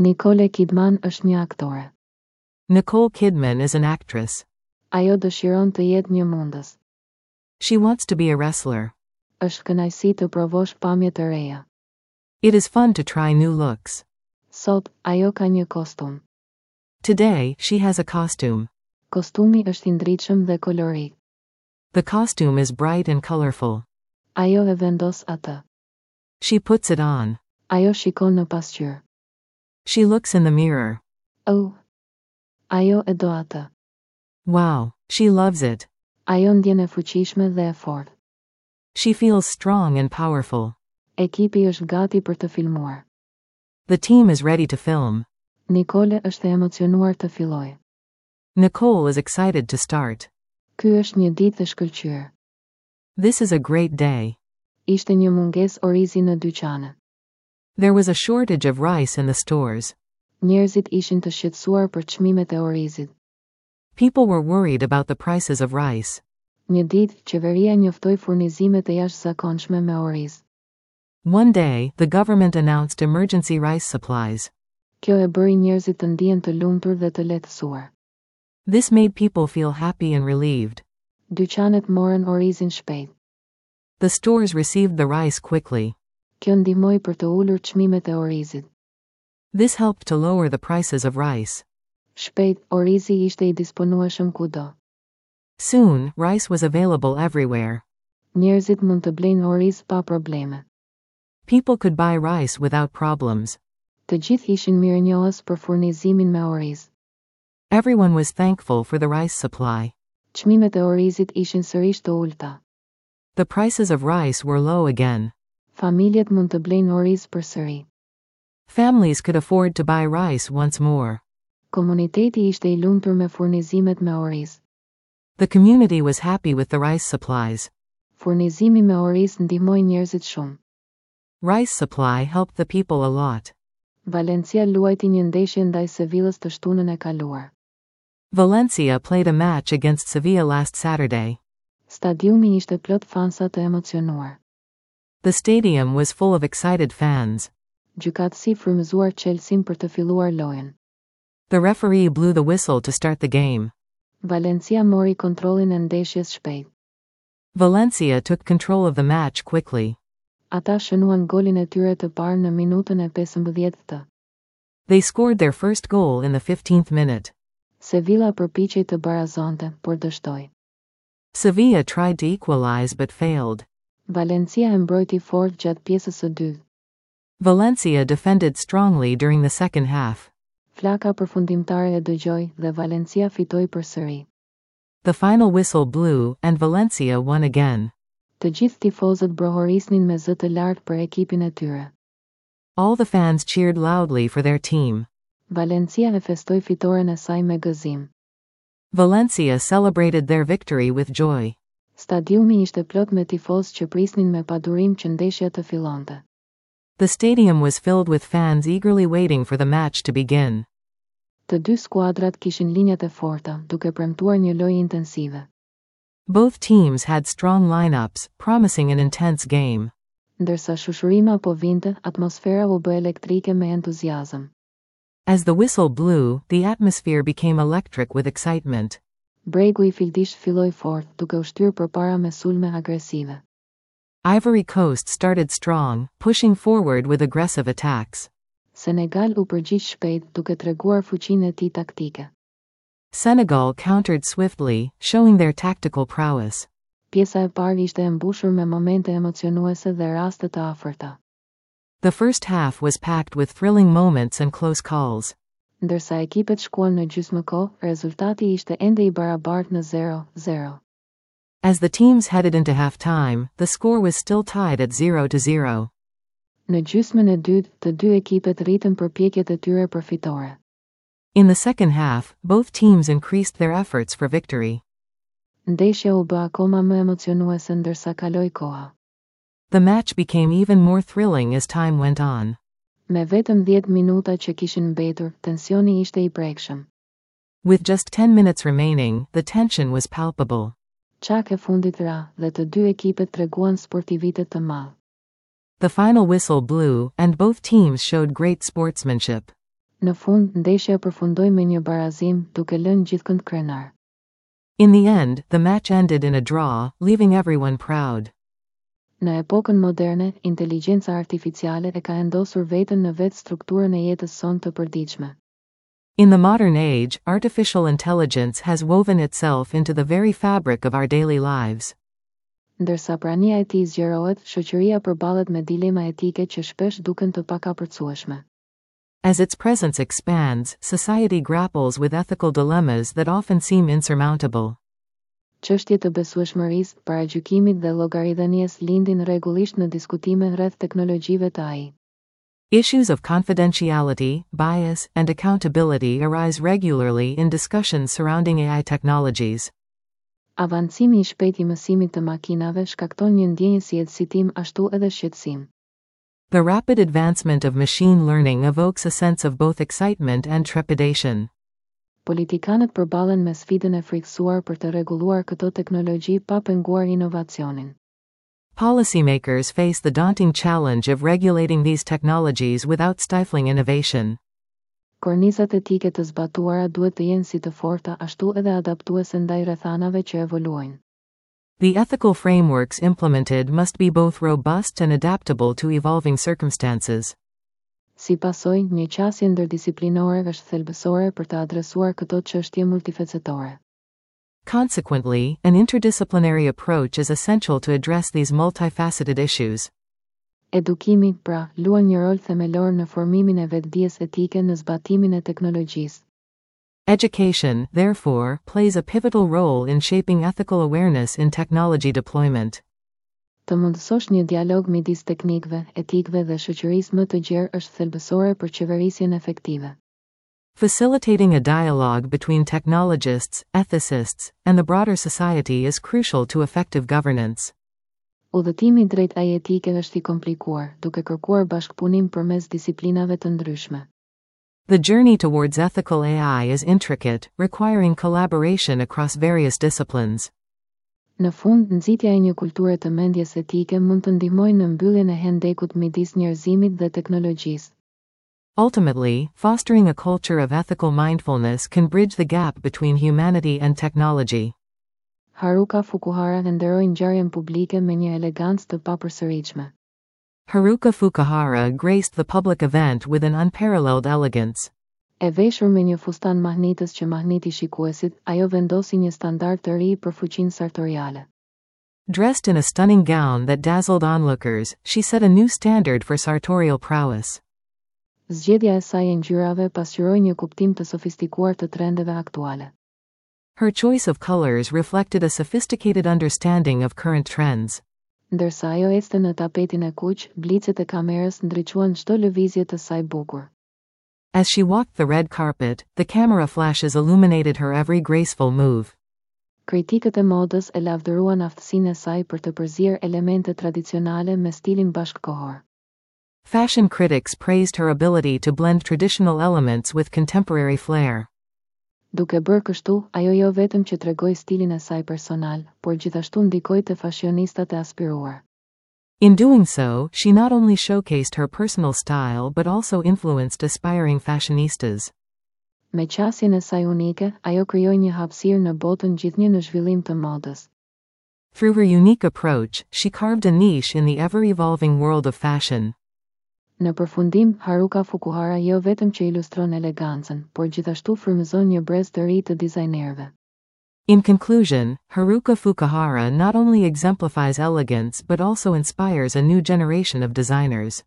Nicole Kidman është një aktore. Nicole Kidman is an actress. Ajo dëshiron të jetë një mundës. She wants to be a wrestler. Është kënaqësi të provosh pamje të reja. It is fun to try new looks. Sot, ajo ka një kostum. Today, she has a costume. Kostumi është i ndritshëm dhe kolorik. The costume is bright and colorful. Ajo e vendos atë. She puts it on. Ajo shikon në pasqyrë. She looks in the mirror. Oh! Ajo e do atë. Wow, she loves it. Ajo ndjen e fuqishme dhe e fortë. She feels strong and powerful. Ekipi është gati për të filmuar. The team is ready to film. Nicole është e emocionuar të fillojë. Nicole is excited to start. Ky është një ditë e shkëlqyer. This is a great day. Ishte një mungesë orizi në dyqane. There was a shortage of rice in the stores. Njerëzit ishin të shqetësuar për çmimet e orizit. People were worried about the prices of rice. Një ditë, qeveria njoftoi furnizimet e jashtëzakonshme me oriz. One day, the government announced emergency rice supplies. Kjo e bëri njerëzit të ndihen të lumtur dhe të lehtësuar. This made people feel happy and relieved. Dyqanet morën orizin shpejt. The stores received the rice quickly. Kjo ndihmoi për të ulur çmimet e orizit. This helped to lower the prices of rice. Shpejt, orizi ishte i disponueshëm kudo. Soon, rice was available everywhere. Njerëzit mund të blejnë oriz pa probleme. People could buy rice without problems. Të gjithë ishin mirënjohës për furnizimin me oriz. Everyone was thankful for the rice supply. Çmimet e orizit ishin sërish të ulëta. The prices of rice were low again. Familjet mund të blejnë oriz përsëri. Families could afford to buy rice once more. Komuniteti ishte i lumtur me furnizimet me oriz. The community was happy with the rice supplies. Furnizimi me oriz ndihmoi njerëzit shumë. Rice supply helped the people a lot. Valencia luajti një ndeshje ndaj Sevillës të shtunën e kaluar. Valencia played a match against Sevilla last Saturday. Stadiumi ishte plot fansa të emocionuar. The stadium was full of excited fans. Gjykatësi frymëzuar çelësin për të filluar lojën. The referee blew the whistle to start the game. Valencia mori kontrollin e ndeshjes shpejt. Valencia took control of the match quickly. Ata shënuan golin e tyre të parë në minutën e 15 të. They scored their first goal in the 15th minute. Sevilla përpiqej të barazonte, por dështoi. Sevilla tried to equalize but failed. Valencia e mbrojti fort gjatë pjesës së dytë. Valencia defended strongly during the second half. Flaka përfundimtare e dëgjoi dhe Valencia fitoi përsëri. The final whistle blew, and Valencia won again. Të gjithë tifozët brohorisnin me zë të lartë për ekipin e tyre. All the fans cheered loudly for their team. Valencia e festoi fitoren e saj me gëzim. Valencia celebrated their victory with joy. Stadiumi ishte plot me tifozë që prisnin me padurim që ndeshja të fillonte. The stadium was filled with fans eagerly waiting for the match to begin. Të dy skuadrat kishin linjat e forta, duke premtuar një lojë intensive. Both teams had strong lineups, promising an intense game. Ndërsa shushurima po vinte, atmosfera u bë elektrike me entuziazëm. As the whistle blew, the atmosphere became electric with excitement. Bregu i Fildishtë filloi fort, duke u shtyrë përpara me sulme agresive. Ivory Coast started strong, pushing forward with aggressive attacks. Senegal u përgjigj shpejt, duke treguar fuqinë e tij taktike. Senegal countered swiftly, showing their tactical prowess. Pjesa e parë ishte e mbushur me momente emocionuese dhe raste të afërta. The first half was packed with thrilling moments and close calls. Ndërsa ekipet shkuan në gjysmë kohë, rezultati ishte ende i barabartë në 0-0. As the teams headed into halftime, the score was still tied at 0-0. Në gjysmën e dytë, të dy ekipet rritën përpjekjet e tyre për fitore. In the second half, both teams increased their efforts for victory. Ndeshja u bë akoma më emocionuese ndërsa kaloi koha. The match became even more thrilling as time went on. Me vetëm 10 minuta që kishin mbetur, tensioni ishte i prekshëm. With just 10 minutes remaining, the tension was palpable. Çaka e fundit ra, dhe të dy ekipet treguan sportivitet të madh. The final whistle blew, and both teams showed great sportsmanship. Në fund, ndeshja përfundoi me një barazim, duke lënë gjithkënd krenar. In the end, the match ended in a draw, leaving everyone proud. Në epokën moderne, inteligjenca artificiale e ka endosur veten në vetë strukturën e jetës sonë të përditshme. In the modern age, artificial intelligence has woven itself into the very fabric of our daily lives. Ndërsa prania e tij zgjerohet, shoqëria përballet me dilema etike që shpesh duken të pakapërcueshme. As its presence expands, society grapples with ethical dilemmas that often seem insurmountable. Çështje të besueshmërisë, paragjykimit dhe llogaridhënies lindin rregullisht në diskutime rreth teknologjive të AI. Issues of confidentiality, bias, and accountability arise regularly in discussions surrounding AI technologies. Avancimi i shpejtë i mësimit të makinave shkakton një ndjenjë si eksitim ashtu edhe shqetësim. The rapid advancement of machine learning evokes a sense of both excitement and trepidation. Politikanët përballen me sfidën e frikësuar për të rregulluar këto teknologji pa penguar inovacionin. Policymakers face the daunting challenge of regulating these technologies without stifling innovation. Kornizat etike të zbatuara duhet të jenë si të forta ashtu edhe adaptuese ndaj rrethanave që evoluojnë. The ethical frameworks implemented must be both robust and adaptable to evolving circumstances. Si pasojë, një qasje ndërdisiplinore është thelbësore për të adresuar këto çështje multifacetore. Consequently, an interdisciplinary approach is essential to address these multifaceted issues. Edukimi, pra, luan një rol themelor në formimin e vetëdijes etike në zbatimin e teknologjisë. Education, therefore, plays a pivotal role in shaping ethical awareness in technology deployment. Të mundësosh një dialog midis teknikëve, etikëve dhe shoqërisë më të gjerë është thelbësore për qeverisjen efektive. Facilitating a dialogue between technologists, ethicists, and the broader society is crucial to effective governance. Udhëtimi drejt AI etike është i komplikuar, duke kërkuar bashkëpunim përmes disiplinave të ndryshme. The journey towards ethical AI is intricate, requiring collaboration across various disciplines. Në fund, nxitja e një kulture të mendjes etike mund të ndihmojë në mbylljen e hendekut midis njerëzimit dhe teknologjisë. Ultimately, fostering a culture of ethical mindfulness can bridge the gap between humanity and technology. Haruka Fukuhara e nderoi ngjarjen publike me një elegancë të papërsëritshme. Haruka Fukuhara graced the public event with an unparalleled elegance. E veshur me një fustan mahnitës që mahniti shikuesit, ajo vendosi një standard të ri për fuqinë sartoriale. Dressed in a stunning gown that dazzled onlookers, she set a new standard for sartorial prowess. Zgjedhja e saj e ngjyrave pasqyroi një kuptim të sofistikuar të trendeve aktuale. Her choice of colors reflected a sophisticated understanding of current trends. Ndërsa ajo ecte në tapetin e kuq, blicet e kamerës ndriçuan çdo lëvizje të saj bukur. As she walked the red carpet, the camera flashes illuminated her every graceful move. Kritikët e modës e lavdëruan aftësinë e saj për të përzier elemente tradicionale me stilin bashkëkohor. Fashion critics praised her ability to blend traditional elements with contemporary flair. Duke bërë kështu, ajo jo vetëm që tregoi stilin e saj personal, por gjithashtu ndikoi te fashionistat e aspiruar. In doing so, she not only showcased her personal style but also influenced aspiring fashionistas. Me qasjen e saj unike, ajo krijoi një hapësirë në botën gjithnjë në zhvillim të modës. Through her unique approach, she carved a niche in the ever-evolving world of fashion. Në përfundim, Haruka Fukuhara jo vetëm që ilustron elegancën, por gjithashtu frymëzon një brez të ri të dizajnerëve. In conclusion, Haruka Fukuhara not only exemplifies elegance but also inspires a new generation of designers.